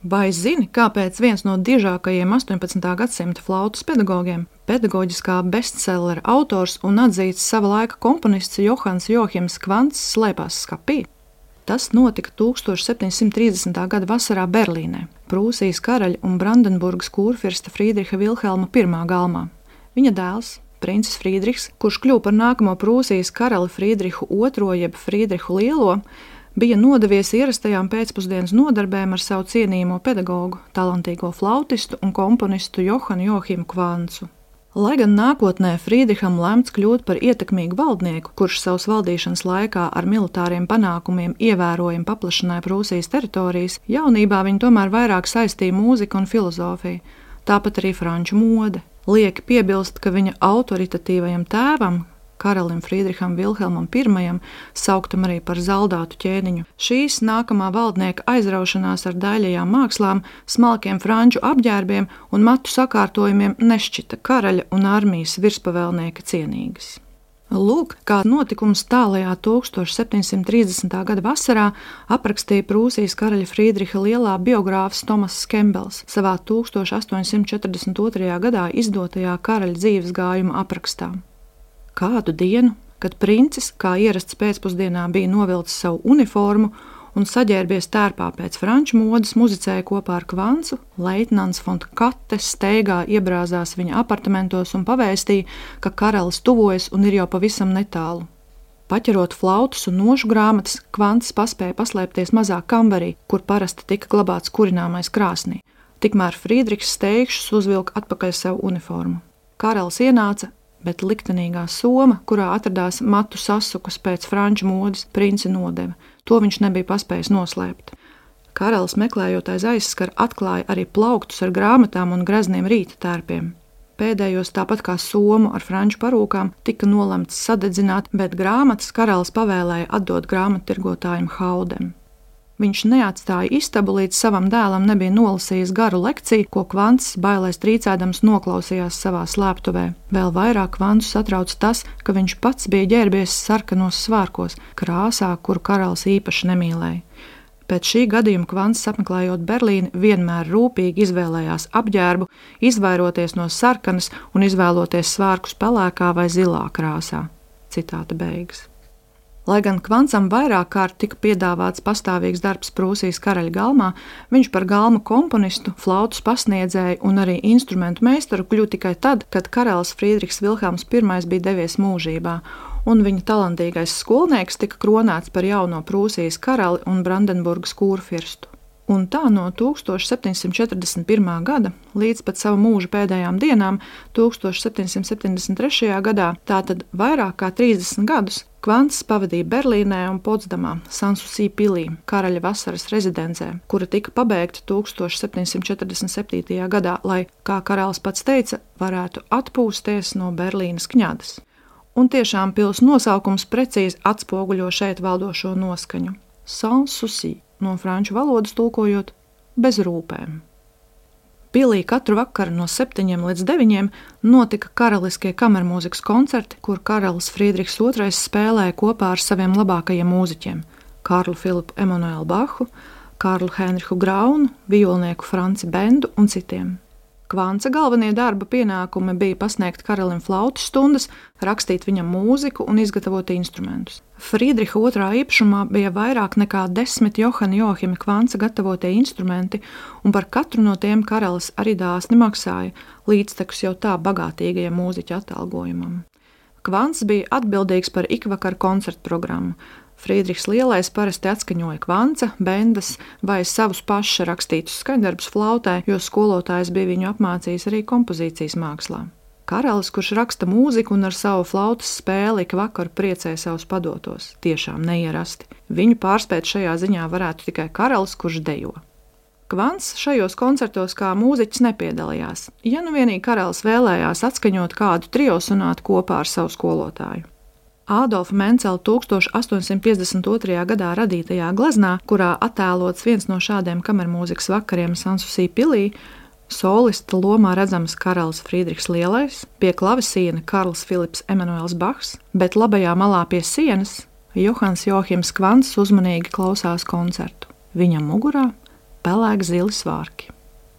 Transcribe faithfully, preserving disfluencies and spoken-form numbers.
Vai zini, kāpēc viens no dižākajiem astoņpadsmitā gadsimta flautas pedagogiem, pedagoģiskā bestsellera autors un atzīts sava laika komponists Johans Johims Kvants slēpās skapī? Tas notika tūkstoš septiņsimt trīsdesmitā gada vasarā Berlīnē, Prūsijas karaļa un Brandenburgas kurfirsta Friedriha Vilhelma pirmā galmā. Viņa dēls, princis Friedrichs, kurš kļuva par nākamo Prūsijas karali Friedrihu otro jeb Friedrihu Lielo, bija nodevies ierastajām pēcpusdienas nodarbēm ar savu cienījamo pedagogu, talantīgo flautistu un komponistu Johanu Johimu Kvancu. Lai gan nākotnē Friedriham lemts kļūt par ietekmīgu valdnieku, kurš savas valdīšanas laikā ar militāriem panākumiem ievērojami paplašināja Prūsijas teritorijas, jaunībā viņu tomēr vairāk saistīja mūzika un filozofija, tāpat arī franču mode. Lieki piebilst, ka viņa autoritatīvajam tēvam, karalim Friedriham Vilhelmam I, sauktam arī par zaldātu ķēniņu, šīs nākamā valdnieka aizraušanās ar daļajām mākslām, smalkiem franču apģērbiem un matu sakārtojumiem nešķita karaļa un armijas virspavēlnieka cienīgas. Lūk, kā notikums tālajā tūkstoš septiņsimt trīsdesmitā gada vasarā aprakstīja Prūsijas karaļa Friedriha Lielā biogrāfs Tomass Kembels savā tūkstoš astoņsimt četrdesmit otrajā gadā izdotajā karaļa dzīves gājuma aprakstā. Kādu dienu, kad princis, kā ierasts pēcpusdienā, bija novilcis savu uniformu un saģērbies tērpā pēc franču modes, muzicēja kopā ar Kvancu, leitnants von Kattes steigā iebrāzās viņa apartamentos un pavēstīja, ka karalis tuvojas un ir jau pavisam netālu. Paķerot flautas un nošu grāmatas, Kvants paspēja paslēpties mazā kambarī, kur parasti tika glabāts kurināmais krāsnī. Tikmēr Friedrichs steigšus uzvilka atpakaļ savu uniformu. Karalis ienāca, bet liktenīgā soma, kurā atradās matu sasukas pēc franču modes, princi nodeva. To viņš nebija paspējis noslēpt. Karalis meklējot aiz aizskara atklāja arī plauktus ar grāmatām un grezniem rīta tērpiem. Pēdējos, tāpat kā somu ar franču parūkām, tika nolemts sadedzināt, bet grāmatas karalis pavēlēja atdot grāmattirgotājam Haudem. Viņš neatstāja istabu, līdz savam dēlam nebija nolasījis garu lekciju, ko Kvants bailēs trīcēdams noklausījās savā slēptuvē. Vēl vairāk Kvantu satrauc tas, ka viņš pats bija ģērbies sarkanos svārkos, krāsā, kuru karalis īpaši nemīlēja. Pēc šī gadījuma Kvants, apmeklējot Berlīni, vienmēr rūpīgi izvēlējās apģērbu, izvairoties no sarkanas un izvēloties svārkus pelēkā vai zilā krāsā. Citāta beigas. Lai gan Kvancam vairāk kārt tika piedāvāts pastāvīgs darbs Prūsijas karaļa galmā, viņš par galma komponistu, flautas pasniedzēju un arī instrumentu meistaru kļuva tikai tad, kad karalis Friedrichs Vilhelms I bija devies mūžībā, un viņa talantīgais skolnieks tika kronēts par jauno Prūsijas karali un Brandenburgas kurfirstu. Un tā no tūkstoš septiņsimt četrdesmit pirmā gada līdz pat savu mūža pēdējām dienām, tūkstoš septiņsimt septiņdesmit trešajā gadā, tātad vairāk kā trīsdesmit gadus, Kvants pavadīja Berlīnē un Potsdamā, Sanssouci pilī, karaļa vasaras rezidencē, kura tika pabeigta tūkstoš septiņsimt četrdesmit septītajā gadā, lai, kā karalis pats teica, varētu atpūsties no Berlīnas kņadas. Un tiešām pils nosaukums precīzi atspoguļo šeit valdošo noskaņu – Sanssouci, no franču valodas tulkojot bez rūpēm. Pilī katru vakaru no septiņiem līdz deviņiem notika karaliskie kamermūzikas koncerti, kur karalis Friedrichs otrais spēlēja kopā ar saviem labākajiem mūziķiem – Karlu Filipu Emanuelu Bachu, Karlu Henrihu Graunu, violnieku Franci Bendu un citiem. Kvanca galvenie darba pienākumi bija pasniegt karalim flautas stundas, rakstīt viņam mūziku un izgatavot instrumentus. Friedriha otrā īpašumā bija vairāk nekā desmit Johana Johima Kvanca gatavotie instrumenti, un par katru no tiem karalis arī dāsni maksāja, līdztekus jau tā bagātīgajam mūziķa atalgojumam. Kvants bija atbildīgs par ikvakaru koncertu programmu. Friedrichs Lielais parasti atskaņoja Kvanca, Bendas vai savus paša rakstītus skaņdarbus flautē, jo skolotājs bija viņu apmācījis arī kompozīcijas mākslā. Karalis, kurš raksta mūziku un ar savu flautas spēli ik vakaru priecēja savus padotos, tiešām neierasti. Viņu pārspēt šajā ziņā varētu tikai karalis, kurš dejo. Kvants šajos koncertos kā mūziķis nepiedalījās, ja nu vienīgi karalis vēlējās atskaņot kādu trio sonātu kopā ar savu skolotāju. Ādolfa Mencela tūkstoš astoņsimt piecdesmit otrajā gadā radītajā gleznā, kurā attēlots viens no šādiem kamermūzikas vakariem Sanssouci pilī, solista lomā redzams karalis Friedrichs Lielais, pie klavesīna Karls Filips Emanuels Bachs, bet labajā malā pie sienas Johans Johims Kvants uzmanīgi klausās koncertu. Viņam mugurā pelēk zili svārki.